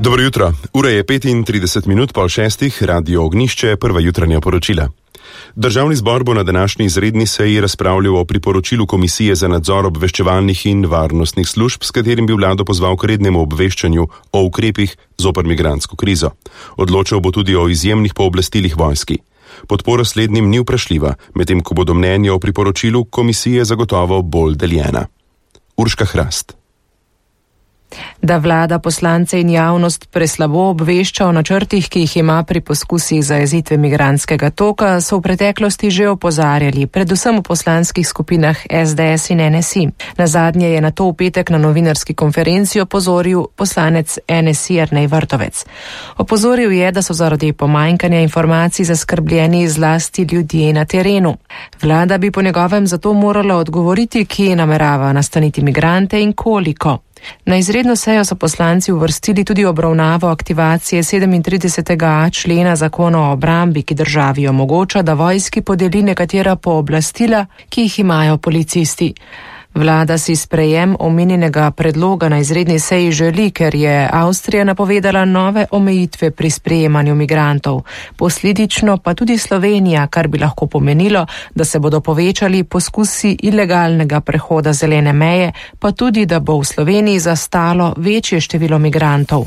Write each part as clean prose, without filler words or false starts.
Dobro jutro. Ura je 35 pol šestih, Radio Ognjišče, prva jutranja poročila. Državni zbor bo na današnji izredni seji razpravljal o priporočilu Komisije za nadzor obveščevalnih in varnostnih služb, s katerim bi vlado pozval k rednemu obveščanju o ukrepih zoper migrantsko krizo. Odločal bo tudi o izjemnih pooblastilih vojski. Podpora slednjim ni vprašljiva, medtem ko bodo mnenja o priporočilu komisije zagotovo bolj deljena. Urška Hrast. Da vlada poslance in javnost preslabo obvešča o načrtih, ki jih ima pri poskusih zajezitve migrantskega toka, so v preteklosti že opozarjali, predvsem v poslanskih skupinah SDS in NSI. Nazadnje je na to v petek na novinarski konferenci opozoril poslanec NSI Jernej Vrtovec. Opozoril je, da so zaradi pomanjkanja informacij zaskrbljeni zlasti ljudje na terenu. Vlada bi po njegovem zato morala odgovoriti, kje namerava nastaniti migrante in koliko. Na izredno sejo so poslanci uvrstili tudi obravnavo aktivacije 37.a člena zakona o obrambi, ki državi omogoča, da vojski podeli nekatera pooblastila, ki jih imajo policisti. Vlada si sprejem omenjenega predloga na izredni seji želi, ker je Avstrija napovedala nove omejitve pri sprejemanju migrantov. Posledično pa tudi Slovenija, kar bi lahko pomenilo, da se bodo povečali poskusi ilegalnega prehoda zelene meje, pa tudi, da bo v Sloveniji zastalo večje število migrantov.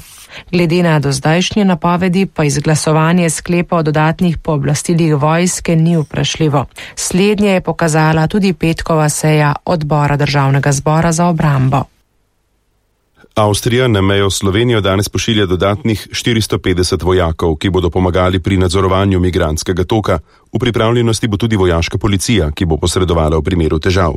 Glede na dozdajšnje napovedi pa izglasovanje sklepa o dodatnih pooblastilih vojske ni vprašljivo. Slednje je pokazala tudi petkova seja odbora Državnega zbora za obrambo. Avstrija na mejo Slovenijo danes pošilja dodatnih 450 vojakov, ki bodo pomagali pri nadzorovanju migrantskega toka. V pripravljenosti bo tudi vojaška policija, ki bo posredovala v primeru težav.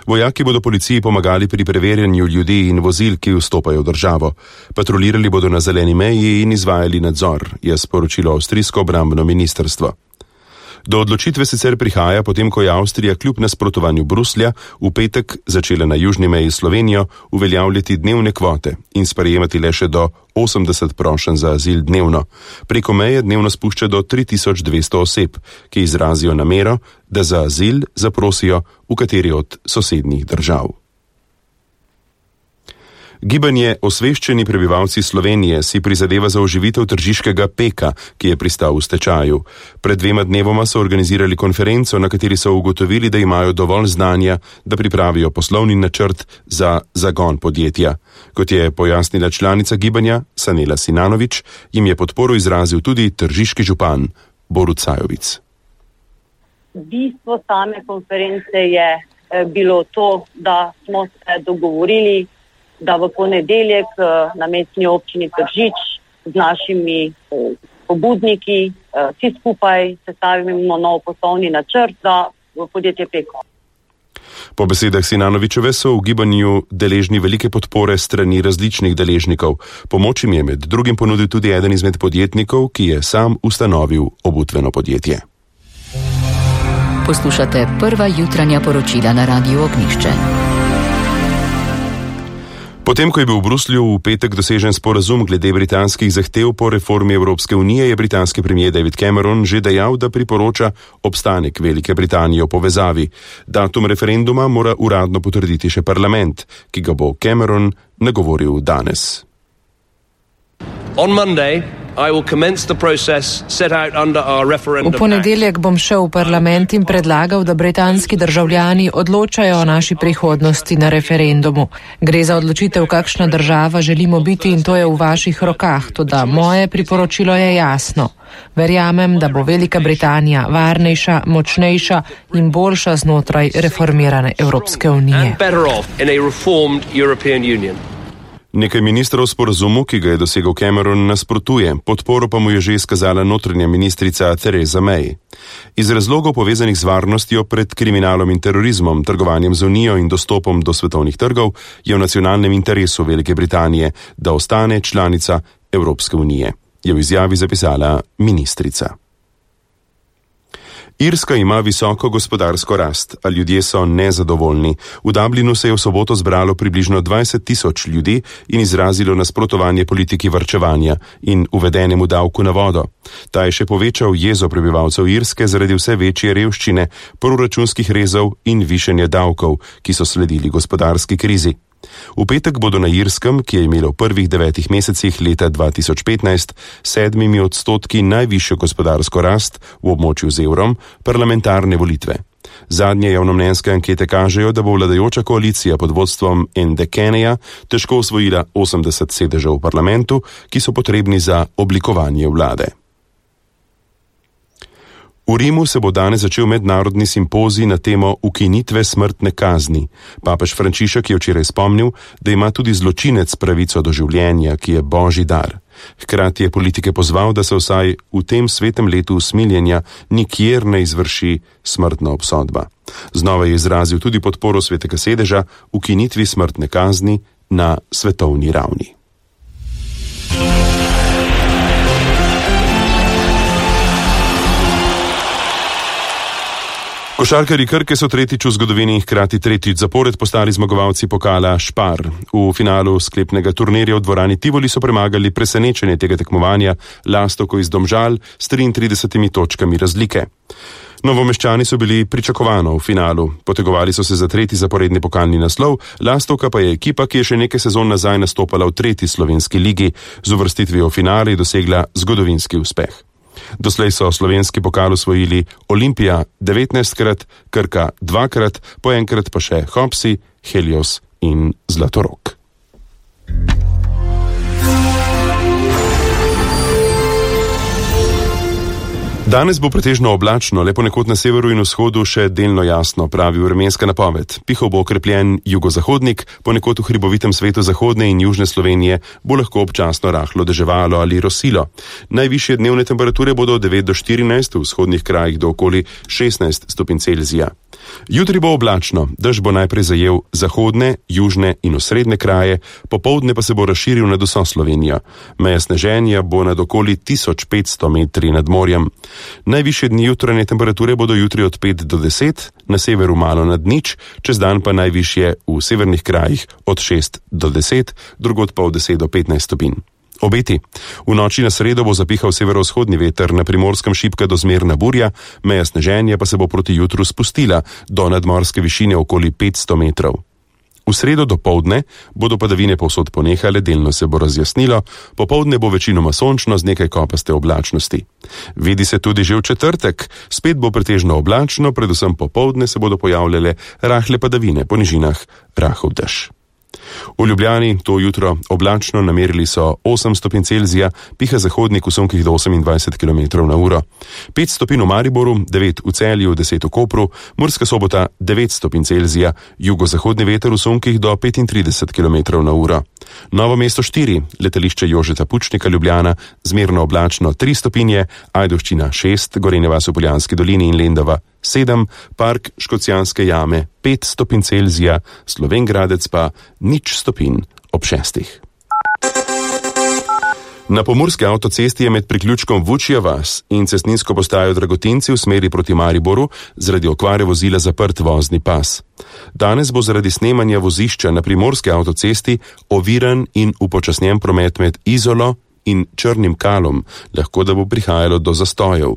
Vojaki bodo policiji pomagali pri preverjanju ljudi in vozil, ki vstopajo v državo. Patrolirali bodo na zeleni meji in izvajali nadzor, je sporočilo avstrijsko obrambno ministrstvo. Do odločitve sicer prihaja, potem ko je Avstrija kljub nasprotovanju Bruslja v petek začela na južni meji Slovenijo uveljavljati dnevne kvote in sprejemati le še do 80 prošenj za azil dnevno. Preko meje dnevno spušča do 3200 oseb, ki izrazijo namero, da za azil zaprosijo v kateri od sosednjih držav. Gibanje Osveščeni prebivalci Slovenije si prizadeva za oživitev tržiškega Peka, ki je pristal v stečaju. Pred 2 dnevoma so organizirali konferenco, na kateri so ugotovili, da imajo dovolj znanja, da pripravijo poslovni načrt za zagon podjetja. Kot je pojasnila članica gibanja Sanela Sinanović, jim je podporo izrazil tudi tržiški župan Borut Sajovic. Bistvo same konference je bilo to, da smo se dogovorili, da v ponedeljek na mestni občini Tržič z našimi pobudniki vsi skupaj sestavimo nov poslovni načrt za podjetje Peko. Po besedah Sinanovićeve so v gibanju deležni velike podpore strani različnih deležnikov. Pomoč jim je med drugim ponudil tudi eden izmed podjetnikov, ki je sam ustanovil obutveno podjetje. Poslušate prva jutranja poročila na Radiu Ognjišče. Potem, ko je bil v Bruslju v petek dosežen sporazum glede britanskih zahtev po reformi Evropske unije, je britanski premier David Cameron že dejal, da priporoča obstanek Velike Britanije v povezavi. Datum referenduma mora uradno potrditi še parlament, ki ga bo Cameron nagovoril danes. On Monday, I will commence the process set out under our referendum. V ponedeljek bom šel v parlament in predlagal, da britanski državljani odločajo o naši prihodnosti na referendumu. Gre za odločitev, kakšna država želimo biti, in to je v vaših rokah, toda moje priporočilo je jasno. Verjamem, da bo Velika Britanija varnejša, močnejša in boljša znotraj reformirane Evropske unije. Nekaj ministrov sporazumu, ki ga je dosegel Cameron, nasprotuje, podporo pa mu je že izkazala notranja ministrica Theresa May. Iz razlogov povezanih z varnostjo pred kriminalom in terorizmom, trgovanjem z Unijo in dostopom do svetovnih trgov je v nacionalnem interesu Velike Britanije, da ostane članica Evropske unije, je v izjavi zapisala ministrica. Irska ima visoko gospodarsko rast, a ljudje so nezadovoljni. V Dublinu se je v soboto zbralo približno 20.000 ljudi in izrazilo nasprotovanje politiki varčevanja in uvedenemu davku na vodo. Ta je še povečal jezo prebivalcev Irske zaradi vse večje revščine, proračunskih rezov in višanja davkov, ki so sledili gospodarski krizi. V petek bodo na Irskem, ki je imelo v prvih 9 mesecih leta 2015 7% najvišjo gospodarsko rast v območju z evrom, parlamentarne volitve. Zadnje javnomnenjske ankete kažejo, da bo vladajoča koalicija pod vodstvom Ende Kenneya težko osvojila 80 sedežev v parlamentu, ki so potrebni za oblikovanje vlade. V Rimu se bo danes začel mednarodni simpozij na temo ukinitve smrtne kazni. Papež Frančišek je včeraj spomnil, da ima tudi zločinec pravico do življenja, ki je božji dar. Hkrati je politike pozval, da se vsaj v tem svetem letu usmiljenja nikjer ne izvrši smrtna obsodba. Znova je izrazil tudi podporo svetega sedeža ukinitvi smrtne kazni na svetovni ravni. Košarkarji Krke so tretjič v zgodovini in hkrati tretjič zapored postali zmagovalci pokala Špar. V finalu sklepnega turnirja v dvorani Tivoli so premagali presenečenje tega tekmovanja Lastovko iz Domžal s 33 točkami razlike. Novomeščani so bili pričakovano v finalu. Potegovali so se za tretji zaporedni pokalni naslov, Lastovka pa je ekipa, ki je še nekaj sezon nazaj nastopala v tretji slovenski ligi, z uvrstitvijo v finale dosegla zgodovinski uspeh. Doslej so slovenski pokal osvojili Olimpija 19krat, Krka 2krat, po enkrat pa še Hopsi, Helios in Zlatorog. Danes bo pretežno oblačno, le ponekod na severu in vzhodu še delno jasno, pravi vremenska napoved. Pihal bo okrepljen jugozahodnik, ponekod v hribovitem svetu zahodne in južne Slovenije bo lahko občasno rahlo deževalo ali rosilo. Najvišje dnevne temperature bodo od 9 do 14, v vzhodnih krajih do okoli 16 stopinj Celzija. Jutri bo oblačno, dež bo najprej zajel zahodne, južne in osrednje kraje, popoldne pa se bo razširil nad vso Slovenijo. Meja sneženja bo nad okoli 1500 metri nad morjem. Najvišje dni jutranje temperature bodo jutri od 5 do 10, na severu malo nad nič, čez dan pa najvišje v severnih krajih od 6 do 10, drugod pa od 10 do 15 stopinj. Obeti. V noči na sredo bo zapihal severovzhodni veter, na Primorskem šibka do zmerna burja, meja sneženja pa se bo proti jutru spustila do nadmorske višine okoli 500 metrov. V sredo dopoldne bodo padavine povsod ponehale, delno se bo razjasnilo, popoldne bo večinoma sončno z nekaj kopaste oblačnosti. Vidi se tudi že v četrtek, spet bo pretežno oblačno, predvsem popoldne se bodo pojavljale rahle padavine, po nižinah rahel dež. V Ljubljani to jutro oblačno, namerili so 8 stopinj Celzija, piha zahodnik v sunkih do 28 km/h. 5 stopinj v Mariboru, 9 v Celju, 10 v Kopru, Murska Sobota 9 stopinj Celzija, jugozahodni veter v sunkih do 35 km/h. Novo mesto 4, letališče Jožeta Pučnika Ljubljana, zmerno oblačno 3 stopinje, Ajdovščina 6, Gorenja vas v Poljanski dolini in Lendava 7, Park Škocjanske jame 5 stopinj Celzija, Slovenj Gradec pa 0 stopinj ob 6. Na pomurski avtocesti je med priključkom Vučja vas in cestninsko postajo Dragotinci v smeri proti Mariboru zaradi okvare vozila zaprt vozni pas. Danes bo zaradi snemanja vozišča na primorski avtocesti oviran in upočasnjen promet med Izolo in Črnim Kalom, lahko da bo prihajalo do zastojev.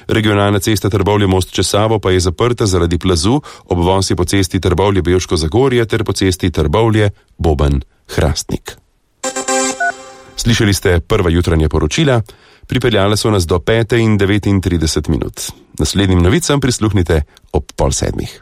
Regionalna cesta Trbovlje-Most čez Savo pa je zaprta zaradi plazu, obvoz je po cesti Trbovlje-Bevško Zagorje ter po cesti Trbovlje-Boben-Hrastnik. Slišali ste prva jutranja poročila, pripeljala so nas do 5:39. Naslednjim novicam prisluhnite ob 6:30.